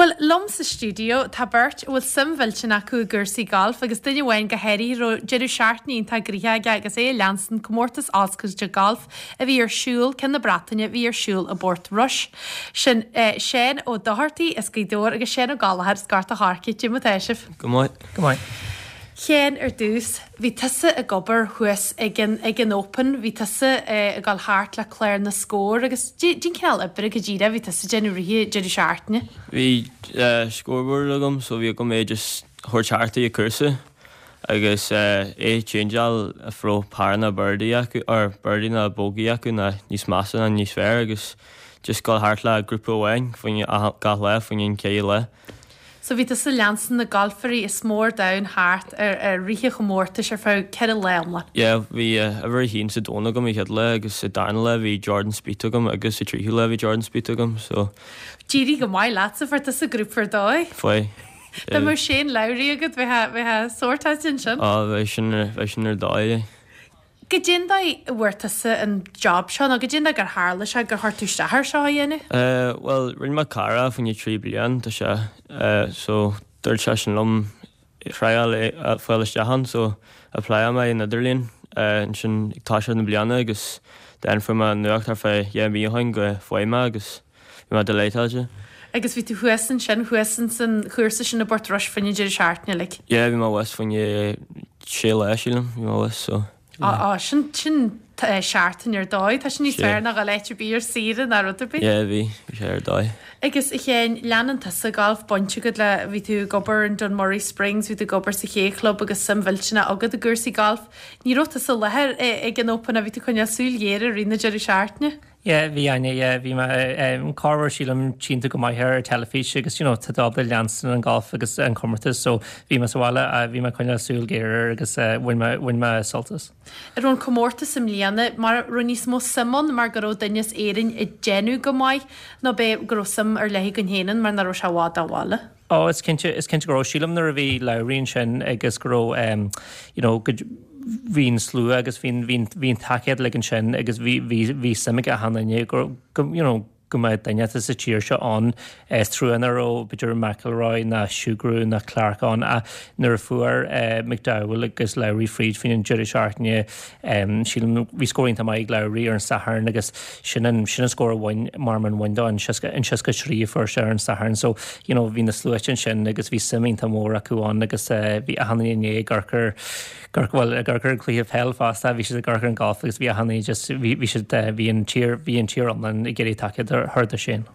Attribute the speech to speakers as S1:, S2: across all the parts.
S1: Bhuel, liom sa stiúideo tá beirt a bhfuil suim mhillteanach acu i gcúrsaí gailf agus duine amháin go háirithe a raibh deireadh seachtaine iontach gnoitheach aige agus é ag leanstan comórtas oscailte gailf a bhí ar siúl, ceann na Breataine, a bhí ar siúl i bPort Rois. Sin Seán Ó Dochartaigh as Gaoth Dobhair agus Seán Ó Gallchóir as Gort a' Choirce. Cad é mar atá sibh?
S2: Go maith.
S3: Go maith.
S1: Sheáin, ar dtús, bhí tusa ag obair thuas ag an, ag an Open, bhí tusa ag dul thart le clár na scór agus cén cineál oibre go díreach a bhí tusa ag déanamh i rith an deireadh seachtaine?
S2: Bhí scoreboard agam so bhí agam é just thabhairt thart ag an cúrsa agus é changeáil if raibh par ná birdie acu or birdie ná bogey acu ná níos measa ná níos fearr agus just dul thart le grúpa amháin faoin gach lá faoin an chéad lá.
S1: So bhí tusa ag leanstan na galfairí is mó ar domhan thart ar i rith an chomórtais ar feadh 4 lá iomlán.
S2: Yeah, bhí uimhir a haon sa domhan agam an chéad lá agus sa darna lá bhí Jordan Spieth agam agus sa tríú lá bhí Jordan Spieth agam so.
S1: D'éirigh go maith leatsa, fuair tusa grúpa ar dóigh.
S2: Fuair.
S1: Dá mbeadh Shane Lowry agat bheifeá, bheifeá sórtáilte ansin.
S2: Á, bheadh sin, bheadh sin ar dóigh.
S1: Goidé an dóigh a bhfuair tusa an job seo nó goidé an dóigh gur tharla sé gur chuir tú isteach air seo a dhéanamh?
S2: Eh bhuel rinne mé cara fá choinne 3 bliain tá sé eh so dúirt seisean liom triáil é fáil isteach ann so applyáil mé an idirlíon eh ansin ag toiseacht na bliana agus then fuair mé nuacht thart fá 2 mhí ó shin go bhfuair mé agus bhí mé delighted.
S1: Agus bhí tú thuas ansin, thuas insan chúrsa sin i bPort Rois fá choinne an deireadh seachtaine uilig?
S2: Yeah bhí mé thuas fá choinne sé lá sílim, bhí mé thuas so.
S1: Á, á, sin, sin seachtain ar dóigh, tá sin níos fearr ná dhul áit ar bith ar saoire ná rud ar bith.
S2: Yeah bhí, bhí sé ar dóigh.
S1: Agus a Sheáin, leanann tusa galf, baint agat le, bhí tú ag obair in Dunmurry Springs, bhí tú ag obair sa K Club agus suim mhillteanach agat i gcúrsaí gailf. Ní raibh tusa i láthair ag an Open ach bhí tú ag coinneáil súil ghéar i rith na deireadh seachtaine.
S3: Yeah, bhí Áine, yeah, bhí mé, em, corruair sílim tchíonn tú go maith ar an teilifís agus, you know, tá tú ábalta leanstan an golf agus an comórtas so bhí mé sa bhaile, eh, bhí mé ag coinneáil súil géar air agus, eh, bhain mé, bhain mé sult as.
S1: An raibh an comórtas i mbliana, mar, raibh níos mó suim ann mar go raibh duine as Éirinn ag déanamh go maith nó b'é go raibh suim ar leith againn féin ann mar nach raibh sé i bhfad ó bhaile?
S3: Ó, is cinnte, is cinnte go raibh. Sílim nuair a bhí Lowry ansin agus go raibh, em, you know, go, bhí an slua agus bhí an, bhí an, bhí an tacaíocht uilig ansin agus bhí, bhí, bhí suim ag achan duine go, go, you know, go mbeadh duine as an tír seo ann. Is trua nach raibh, b'fhéidir, McIlroy ná Sugrue ná Clark ann ach nuair a fuair, eh, McDowell agus Lowry fríd faoin an deireadh seachtaine, Sílim, bhí scór iontach maith ag Lowry ar an Satharn agus sin an, sin an scór a bhain, mar an bhain dó, an 63 a fuair sé ar an Satharn. So, you know, bhí na sluaite ansin agus bhí suim iontach mór acu ann agus bhí achan duine i ndiaidh ag amharc ar, bhuel, ag amharc ar an cluiche peil fosta, bhí siad ag amharc ar an golf agus bhí achan duine just, bhí, bhí siad, bhí an tír, bhí an tír iomlán ag iarraidh tacaíocht a thabhairt do Shane.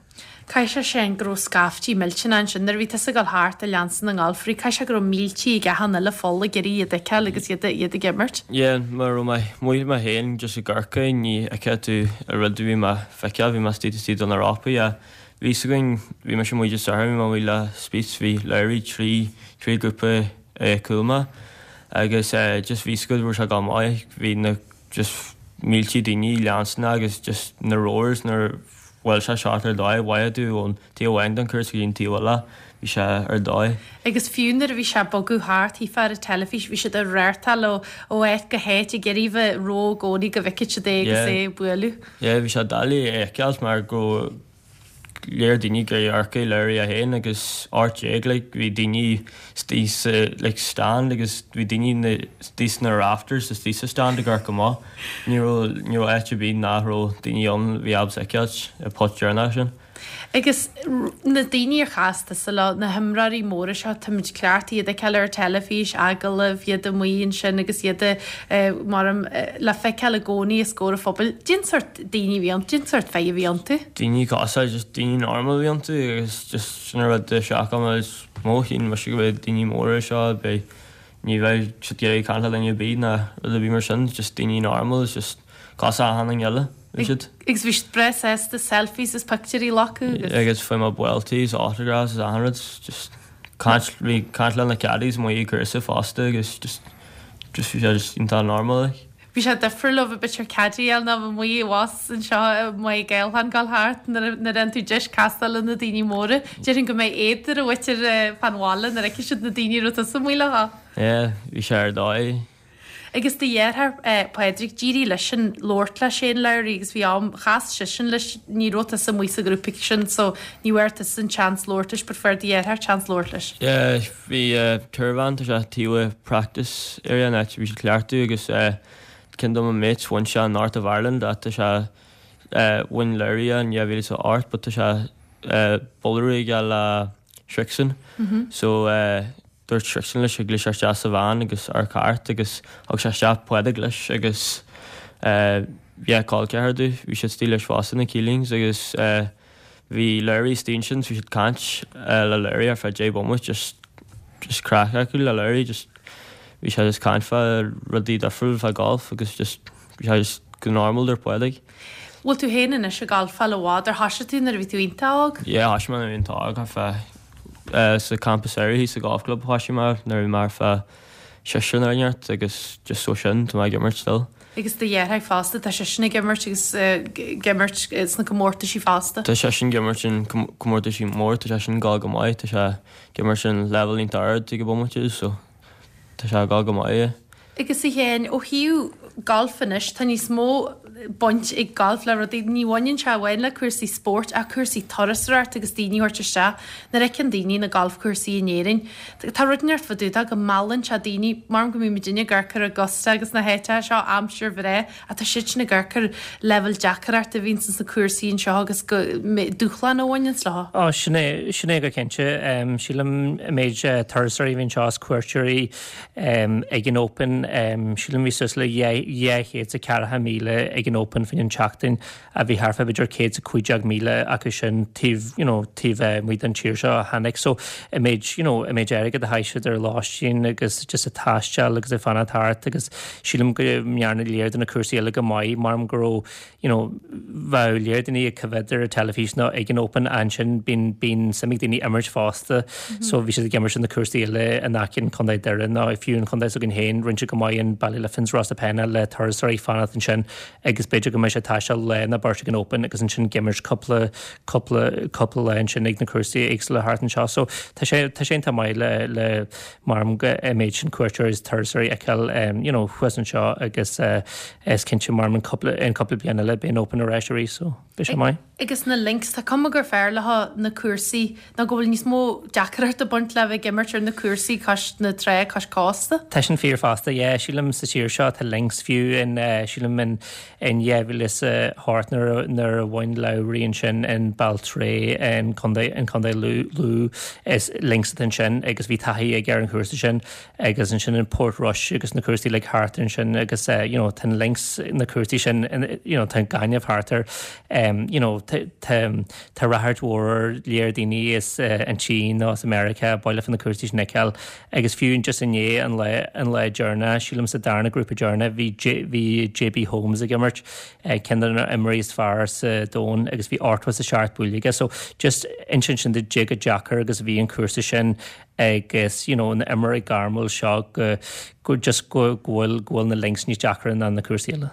S1: Caithfidh sé sin go raibh scaiftí millteanach ansin nuair a bhí tusa ag dul thart ag leanstan na ngalfairí. Caithfidh sé go raibh míltí ag achan uile pholl ag iarraidh iad a fheiceáil agus iad iad ag imirt.
S2: Yeah, mar raibh mé amuigh mé féin just ag amharc ní fheicfeá tú an rud a bhí mé a feiceáil, bhí mé istigh istigh do na rópaí ach bhí 'fhios againn, bhí mise amuigh just orthu, bhí mé amuigh le Spieth, bhí Lowry trí trí ghrúpa cúl mé agus just bhí 'fhios agat go raibh sé ag dul maith, bhí na just míltí daoine leanstan agus just na roars nuair a bhuail sé shot ar dóigh, mhaith tú ón taobh amháin den chúrsa go dtí an taobh eile, bhí sé ar dóigh.
S1: Agus fiú nuair a bhí sé ag bogadh thart, shílfeá ar an teilifís, bhí siad ag radharcáil ó ó áit go háit ag iarraidh bheith ró i gcónaí go bhfeicfeadh siad é agus é ag bualadh.
S2: Yeah, bhí sé doiligh a fheiceáil mar go léir daoine gur amharc Lowry é féin agus 18 like bhí daoine istigh sa like stand agus bhí daoine istigh sna rafters istigh sa stand ag amharc amach. Ní raibh ní raibh áit ar bith nach raibh daoine ann a bhí ábalta feiceáilt an putt deireanach sin.
S1: Agus na daoine ar chas tusa leo, na himreoirí móra seo, táimid cleachtaithe iad a fheiceáil ar an teilifís, agallaimh, iad amuigh ansin agus iad mar le feiceáil i gcónaí os comhair an phobail. Cén sórt daoine a bhí iontu, cén sórt fir a bhí iontu?
S2: Daoine cosúil, just daoine normal a bhí iontu agus just sin an rud a sheachain mé is mó, shíl mise go mbeadh daoine móra seo, beidh, ní bheidh siad ag iarraidh caint le duine ar bith ná rud ar bith mar sin, just daoine normal, it's just cosúil achan duine eile, bhí siad.
S1: Agus bhí siad breá sásta selfies is pictiúirí a ghlacadh
S2: agus. Agus fuair mé buailtí is autographs is achan rud, just caint, bhí caint le na caddies amuigh ag cúrsa fosta agus just, just bhí sé just iontach normal like.
S1: Bhí sé difriúil ó bheith b'fhéidir caddy a fháil ná bheith amuigh abhus anseo i Maigh Ghaeltháin gabháil thart nuair a fhaigheann tú deis castáil le na daoine móra. Déarfainn go mbeidh éad ar an mhuintir fán bhaile nuair a fheicfidh siad na daoine a raibh tusa amuigh leo.
S2: Yeah, bhí sé ar dóigh.
S1: Agus do dheartháir, Pádraig, d'éirigh leisean labhairt le Shane Lowry agus bhí am, chas seisean leis, ní raibh tusa amuigh sa ghrúpa sin so ní bhfuair tusa an chance labhairt leis but fuair do dheartháir chance labhairt leis.
S2: Yeah, bhí tour van, tá sé taobh practice area an áit a bhí siad cleachtadh agus ceann de mo mates bhain sé an North of Ireland ach tá sé bhain Lowry é in 2008 but tá sé bualadh aige le Srixon so Dúirt Srixon leis thig leis isteach sa veain agus amharc thart agus thug sé isteach Pádraig leis agus yeah col ceathar dó bhí siad istigh leis fosta na Keelings agus bhí Lowry istigh ansin so bhí siad caint le Lowry ar feadh 10 bomaite just just craic acu le Lowry just bhí sé just caint fá rudaí difriúil fá golf agus just bhí sé just go normal dúirt Pádraig.
S1: Bhfuil tú féin anois ag galfáil i bhfad ar thoisigh tú nuair a bhí tú iontach óg?
S2: Yeah thoisigh mé nuair a bhí iontach óg ar feadh sa campa samhraidh thíos sa golf club thoisigh mé nuair a bhí mé ar feadh seisear nó neart agus just ó sin tá mé ag imirt still.
S1: Agus do dheartháir fosta tá seisean ag imirt agus ag imirt sna comórtaisí fosta.
S2: Tá seisean ag imirt in comórtaisí mór tá seisean ag gabháil go maith tá sé ag imirt in level iontach ard ag an bomaite so Tá sé ag gabháil go maith.
S1: Agus a Sheáin, ó thaobh galf anois, tá níos mó baint ag galf le rudaí, ní bhaineann sé amháin le cúrsaí spóirt ach cúrsaí turasóireachta agus daoine a thabhairt isteach. Nuair a fheiceann daoine na galfchúrsaí in Éirinn, tá rud inteacht fá dtaobh de go meallann sé daoine, mar go mbíonn muidinne ag amharc ar Augusta agus na háiteacha seo aimsir bhreá ach tá siadsan ag amharc ar leibhéal deacrachta a bhíonn sna cúrsaí anseo agus go dúshlán a bhaineanns leo.
S3: Ó, sin é, sin é go cinnte. Sílim an méid turasóirí a bhí anseo is cuairteoirí ag an Open, sílim bhí suas le 240,000 ag an Open faoin an tseachtain a bhí thart fá b'fhéidir 115,000 acu sin taobh, you know, taobh amuigh den tír seo a tháinig. So an méid, you know, an méid airgead a chaith siad ar lóistín agus just ag taisteal agus ag fanacht thart agus sílim go ndearna lear de na cúrsaí eile go maith mar go raibh, you know, bheadh lear daoine ag coimhéad ar an teilifís nó ag an Open ansin bíonn, bíonn suim ag daoine imirt fosta so bhí siad ag imirt na cúrsaí eile in aice an Chontae Doire nó fiú an chontae s'againn féin, rinne siad go maith in Ballyliffins, Rosapenna le turasóirí fanacht ansin agus b'fhéidir go mbeidh sé ag taisteal lá nó beirt ag an Open agus ansin ag imirt cúpla, cúpla, cúpla lá ansin ag na cúrsaí éagsúla thart anseo. So tá sé, tá sé iontach maith le, le mar go an méid sin cuairteoirí is turasóirí a fheiceáil you know thuas anseo agus is cinnte mar an cúpla, in cúpla bliain eile beidh an Open ar ais arís so beidh sé maith.
S1: Agus na links, tá cuma gur fearr leo na cúrsaí nó go bhfuil níos mó deacracht ag baint le bheith ag imirt ar na cúrsaí cois na trá, cois cósta.
S3: Tá sin fíor fosta, yeah. Sílim sa tír seo tá links fiú in, sílim in in 2008 nuair a nuair a bhain Lowry ansin in Baltray in Contae in Contae Lú Lú is links atá ansin agus bhí taithí aige ar an chúrsa sin agus ansin in Portrush agus na cúrsaí like thart ansin agus you know tá an links na cúrsaí sin you know tá an gaineamh thart air you know tá tá ráchairt mhór ar lear daoine as an tSín nó as America baile fá na cúrsaí sin a fheiceáil agus fiú just inné an lá an lá deireanach sílim sa darna grúpa deireanach bhí bhí JB Holmes ag imirt ceann de na imreoirí is fearr sa domhan agus bhí 87 buaile aige so just insíonn sin duit cé chomh deacair agus a bhí an cúrsa sin agus you know na imreoirí gairmiúil seo go go just go go bhfuil go bhfuil na links níos deacra ná na cúrsaí eile.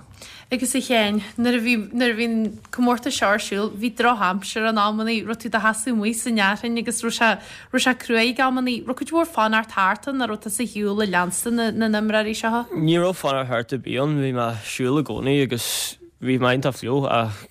S1: Agus a Sheáin, nuair a bhí nuair a bhí an comórtas seo ar siúl, bhí drochaimsir in amannaí, raibh tú do sheasamh amuigh san fhearthainn agus raibh sé raibh sé cruaidh ag amannaí, raibh cuid mhór fanacht thart ann nó raibh tusa ar shiúl ag leanstan na na n-imreoirí seo?
S2: Ní raibh fanacht thart ar bith ann, bhí mé ag siúl i gcónaí agus bhí mé iontach fliuch ach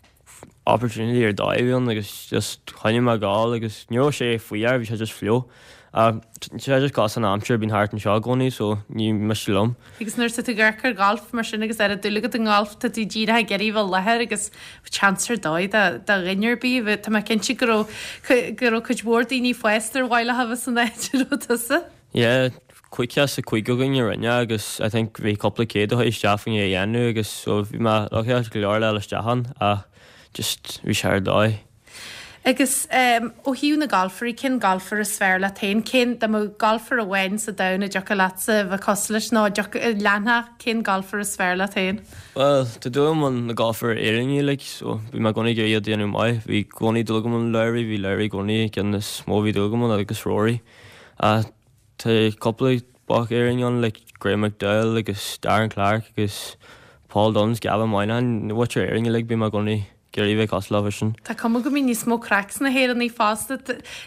S2: opportunity ar dóigh a bhí ann agus just choinnigh mé ag gabháil agus ní raibh sé fuar, bhí sé just fliuch. Ach tá sé just cosúil an aimsir a bhíonn thart anseo i gcónaí so ní miste liom.
S1: Agus nuair atá tú ag amharc ar ghalf mar sin agus oiread dúil agat i ngalf, tá tú díreach ag iarraidh bheith i láthair agus chance ar dóigh do do dhuine ar bith. Tá mé cinnte go raibh go raibh cuid mhór daoine fásta ar mhaith leo a bheith san áit a raibh tusa.
S2: Yeah, 55 againn a rinne agus I think bhí cúpla céad a chuaigh isteach faoin é a dhéanamh agus so bhí mé lucky go leor le dul isteach ann ach just bhí sé ar dóigh.
S1: Agus ó thaobh na galfairí, cén galfaire is fearr leat féin? Cén, dá mbeadh galfaire amháin sa domhan a dtiocfadh leatsa a bheith cosúil leis nó a dtiocfadh, a leanfadh, cén galfaire is fearr leat féin?
S2: Bhuel, tá dúil agam ann na galfaire Éireannaigh like so bhí mé i gcónaí ag iarraidh iad a dhéanamh maith. Bhí i gcónaí dúil agam ann Lowry, bhí Lowry i gcónaí an ceann is mó a bhí dúil agam ann agus Rory. Ach tá cúpla boc Éireannach ann like Graeme McDowell agus Darren Clarke agus Paul Dunne, Gavin Moynihan, na mhuintir Éireann uilig, bím i gcónaí. ag iarraidh bheith cosúil leo sin.
S1: Tá cuma go mbíonn níos mó craic sna hÉireannaigh fosta.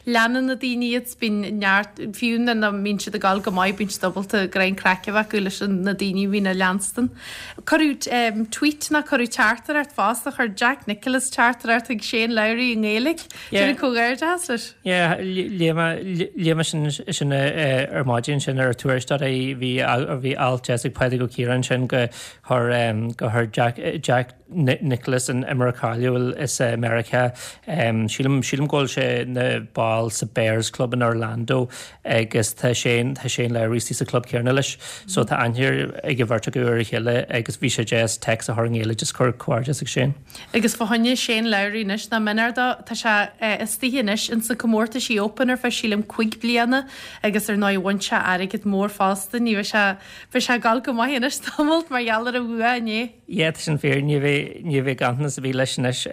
S1: Leanann na daoine iad, bíonn neart, fiú nuair nach mbíonn siad ag dul go maith, bíonn siad ábalta greim craic a bheith acu leis na daoine a bhíonn á leanstan. Cuireadh tweet nó cuireadh teachtaireacht fosta, chuir Jack Nicklaus teachtaireacht chuig Shane Lowry i nGaeilge. Déanamh comhghairdeas leis.
S3: Yeah, léigh mé, léigh mé sin, sin ar maidin sin ar Tuairisc.ie, bhí, bhí alt deas ag Pádraig Ó Ciaráin ansin go chuir, go chuir Jack, Jack Nicklaus an imreoir cáiliúil as Meiriceá, sílim, sílim go bhfuil sé ina ball sa Bears Club in Orlando agus tá Shane, tá Shane Lowry istigh sa club céanna leis. So tá aithne ag an bheirt acu ar a chéile agus bhí sé deas text a chur i nGaeilge just cur comhghairdeas ag Shane.
S1: Agus fá choinne Shane Lowry anois, nach méanar dó, tá sé istigh anois ins na comórtaisí Open ar feadh sílim cuig bliana agus ar ndóigh bhain sé airgead mór fosta, ní bheidh sé, beidh sé ag dul go maith anois tamalt mar gheall ar a bhua inné.
S3: Yeah, tá sin fíor, ní bheidh, ní bheidh ganntanas ar bith leis anois.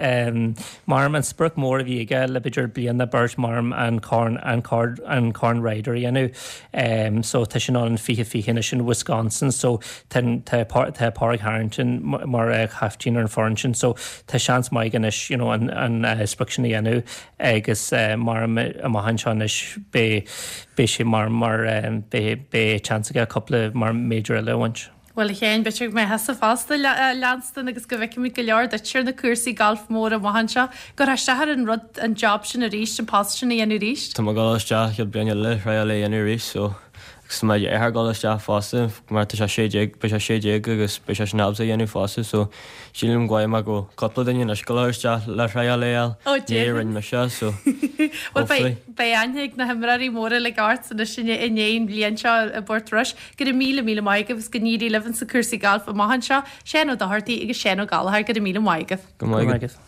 S3: Maram an sprioc mór a bhí aige le b'fhéidir bliain nó beirt maram an corn, an corn, an corn Ryder a dhéanamh. So tá sin ann in 2020 anois in Wisconsin so Tá tá Pádraig Harrington mar chaiftín ar an foireann sin so tá seans maith aige anois you know an an sprioc sin a dhéanamh agus maram amach anseo anois beidh beidh sé mar mar beidh beidh seans aige cúpla mar major eile a bhaint.
S1: Bhuel a Sheáin, b'fhéidir go mbeidh thusa fosta ag leanstan agus go bhfeicfimid go leor duit ar na cúrsaí gailf móra amach anseo. Gabhfaidh isteach ar an rud, an job sin arís, an post sin a dhéanamh arís?
S2: Tá mé ag dul isteach chéad bliain eile, thriáil é a dhéanamh arís so Agus tá mo dheartháir ag dul isteach fosta mar tá sé 16, beidh sé 16 agus beidh sé sin ábalta a dhéanamh fosta so sílim go bhfaighidh mé go bhfuil cúpla duine anois ag dul isteach le thriáil é a fháil.
S1: Ó
S2: Ní rinne mise so
S1: Bhuel hopefully. beidh aithne ag na himreoirí móra uilig ort anois i ndiaidh an bhliain seo i bPort Rois. Go raibh míle míle maith agaibh agus go n-éirí libh insa cúrsaí gailf amach anseo. Seán Ó Dochartaigh agus Seán Ó Gallchóir, go raibh míle maith agaibh.
S2: Go maith agaibh.